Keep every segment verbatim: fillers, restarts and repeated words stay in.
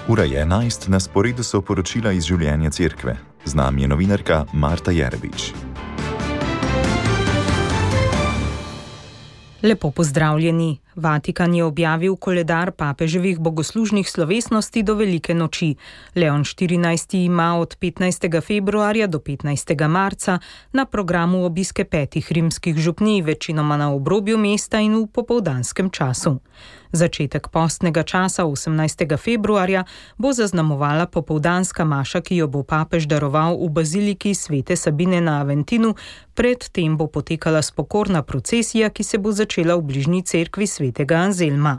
Ura je enajst, na sporedu so poročila iz življenja cerkve. Z nami je novinarka Marta Jerbič. Lepo pozdravljeni. Vatikan je objavil koledar papeževih bogoslužnih slovesnosti do velike noči. Leon štirinajsti ima od petnajstega februarja do petnajstega marca na programu obiske petih rimskih župnij, večinoma na obrobju mesta in v popoldanskem času. Začetek postnega časa osemnajstega februarja bo zaznamovala popoldanska maša, ki jo bo papež daroval v baziliki svete Sabine na Aventinu, predtem bo potekala spokorna procesija, ki se bo začela v bližnji cerkvi svetega Anzelma.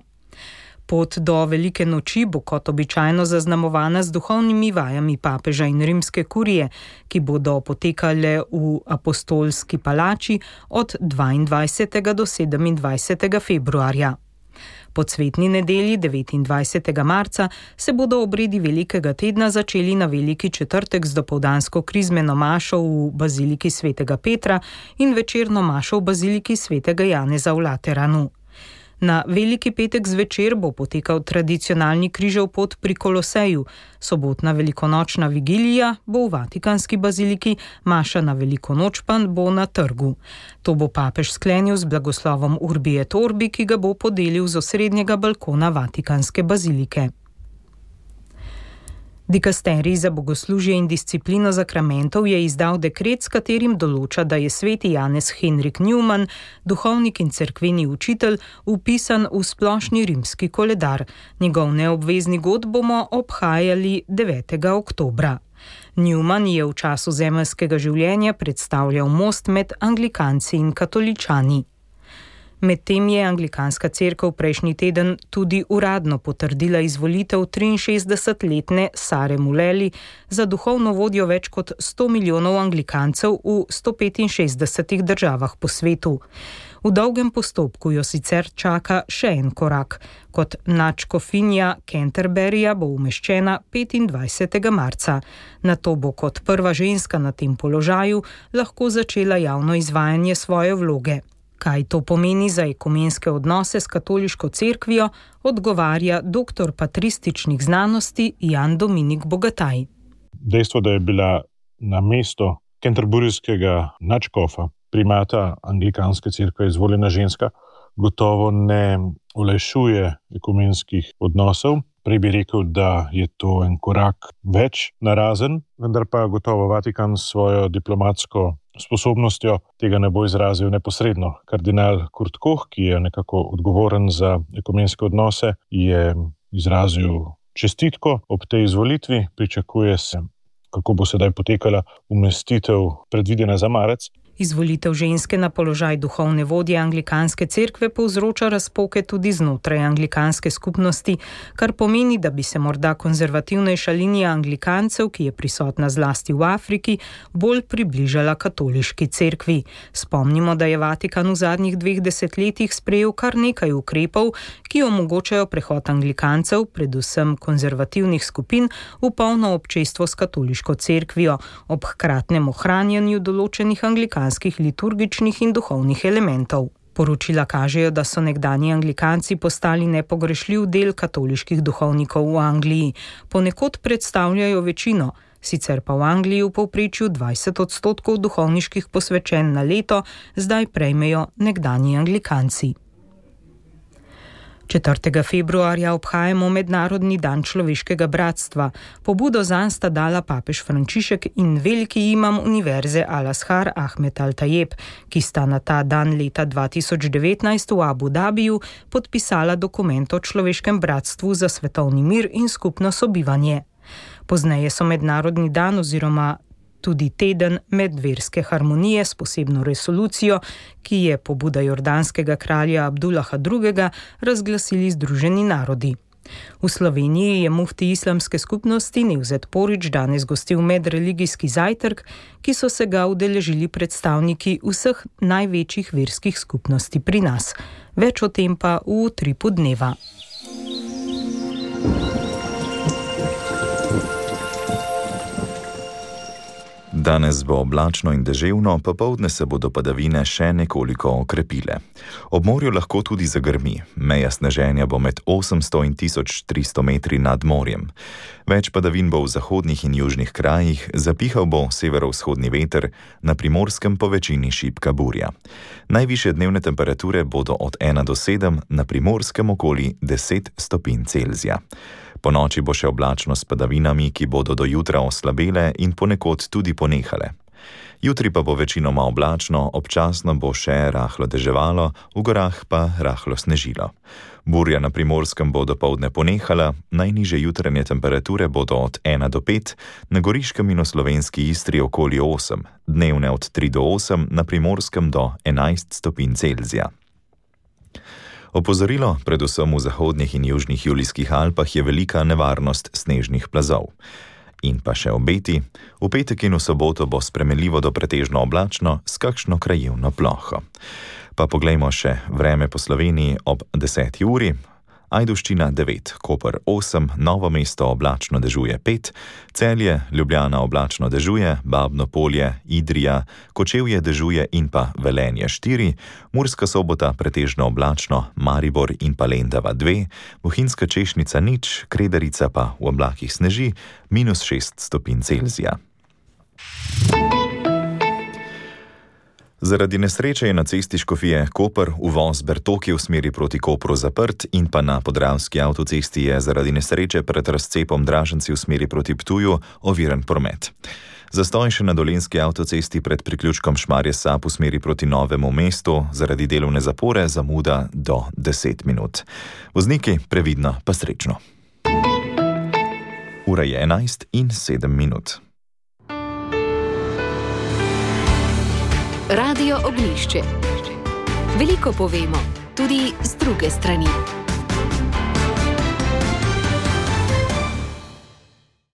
Pot do velike noči bo kot običajno zaznamovana z duhovnimi vajami papeža in rimske kurije, ki bodo potekale v apostolski palači od dvaindvajsetega do sedemindvajsetega februarja. Po cvetni nedelji devetindvajsetega marca se bodo obredi velikega tedna začeli na veliki četrtek z dopoldansko krizmeno mašo v baziliki svetega Petra in večerno mašo v baziliki svetega Janeza v Lateranu. Na veliki petek zvečer bo potekal tradicionalni križev pot pri Koloseju, sobotna velikonočna vigilija bo v Vatikanski baziliki, maša na veliko noč pa bo na trgu. To bo papež sklenil z blagoslovom Urbi et Orbi, ki ga bo podelil z osrednjega balkona Vatikanske bazilike. Dikasterij za bogoslužje in disciplino zakramentov je izdal dekret, s katerim določa, da je sveti Janez Henrik Newman, duhovnik in cerkveni učitelj, vpisan v splošni rimski koledar. Njegov neobvezni god bomo obhajali devetega oktobra. Newman je v času zemeljskega življenja predstavljal most med anglikanci in katoličani. Medtem je anglikanska cerkev prejšnji teden tudi uradno potrdila izvolitev triinšestdesetletne Sare Muleli za duhovno vodjo več kot sto milijonov anglikancev v sto petinšestdesetih državah po svetu. V dolgem postopku jo sicer čaka še en korak. Kot nadškofinja Canterburyja bo umeščena petindvajsetega marca. Nato bo kot prva ženska na tem položaju lahko začela javno izvajanje svoje vloge. Kaj to pomeni za ekumenske odnose s katoliško cerkvijo, odgovarja doktor patrističnih znanosti Jan Dominik Bogataj. Dejstvo, da je bila na mesto canterburyskega nadškofa, primata anglikanske cerkve, izvoljena ženska, gotovo ne olajšuje ekumenskih odnosov. Prej bi rekel, da je to en korak več narazen, vendar pa gotovo Vatikan s svojo diplomatsko sposobnostjo tega ne bo izrazil neposredno. Kardinal Kurt Koch, ki je nekako odgovoren za ekumenske odnose, je izrazil čestitko ob tej izvolitvi. Pričakuje se, kako bo sedaj potekala umestitev predvidena za marec. Izvolitev ženske na položaj duhovne vodje anglikanske cerkve povzroča razpoke tudi znotraj anglikanske skupnosti, kar pomeni, da bi se morda konzervativnejša linija anglikancev, ki je prisotna zlasti v Afriki, bolj približala katoliški cerkvi. Spomnimo, da je Vatikan v zadnjih dveh desetletjih sprejel kar nekaj ukrepov, ki omogočajo prehod anglikancev, predvsem konzervativnih skupin, v polno občestvo s katoliško cerkvijo, ob hkratnem ohranjanju določenih anglikanskih liturgičnih in duhovnih elementov. Poročila kažejo, da so nekdanji anglikanci postali nepogrešljiv del katoliških duhovnikov v Angliji. Ponekod predstavljajo večino, sicer pa v Angliji v povprečju dvajset odstotkov duhovniških posvečenj na leto zdaj prejmejo nekdanji anglikanci. četrtega februarja obhajamo Mednarodni dan človeškega bratstva. Pobudo zanj sta dala papež Frančišek in veliki imam univerze Al-Azhar Ahmed Al-Tayeb, ki sta na ta dan leta dva tisoč devetnajst v Abu Dabiju podpisala dokument o človeškem bratstvu za svetovni mir in skupno sobivanje. Pozneje so Mednarodni dan oziroma tudi teden medverske harmonije s posebno resolucijo, ki je pobuda jordanskega kralja Abdullaha drugega razglasili Združeni narodi. V Sloveniji je mufti islamske skupnosti Nevzet Porić danes gostil medreligijski zajtrk, ki so se ga udeležili predstavniki vseh največjih verskih skupnosti pri nas. Več o tem pa v utripu dneva. Danes bo oblačno in deževno, popoldne se bodo padavine še nekoliko okrepile. Ob morju lahko tudi zagrmi, meja sneženja bo med osemsto in tisoč tristo metri nad morjem. Več padavin bo v zahodnih in južnih krajih, zapihal bo severovzhodni veter, na Primorskem po večini šibka burja. Najvišje dnevne temperature bodo od ena do sedem, na Primorskem okoli deset stopinj Celzija. Po noči bo še oblačno s padavinami, ki bodo do jutra oslabele in ponekod tudi ponehale. Jutri pa bo večinoma oblačno, občasno bo še rahlo deževalo, v gorah pa rahlo snežilo. Burja na Primorskem bo dopoldne ponehala, najnižje jutranje temperature bodo od ena do pet, na Goriškem in v slovenski Istri okoli osem, dnevne od tri do osem, na Primorskem do enajst stopinj Celzija. Opozorilo, predvsem v zahodnih in južnih Julijskih Alpah je velika nevarnost snežnih plazov. In pa še obeti, v petek in v soboto bo spremenljivo do pretežno oblačno s kakšno krajevno ploho. Pa poglejmo še vreme po Sloveniji ob deseti uri. Ajdovščina devet, Koper osem, Novo mesto oblačno dežuje pet, Celje, Ljubljana oblačno dežuje, Babno Polje, Idrija, Kočevje dežuje in pa Velenje štiri, Murska Sobota pretežno oblačno, Maribor in pa Lendava dve, Bohinjska Češnica nič, Kredarica pa v oblakih sneži, minus šest stopinj Celzija. Zaradi nesreče je na cesti Škofije Koper uvoz Bertoki v smeri proti Kopru zaprt in pa na Podravski avtocesti je zaradi nesreče pred razcepom Draženci v smeri proti Ptuju oviran promet. Zastoj še na Dolenjski avtocesti pred priključkom Šmarje Sap v smeri proti Novemu mestu, zaradi delovne zapore zamuda do deset minut. Vozniki previdno pa srečno. Ura je enajst in sedem minut. Radio Ognjišče. Veliko povemo, tudi z druge strani.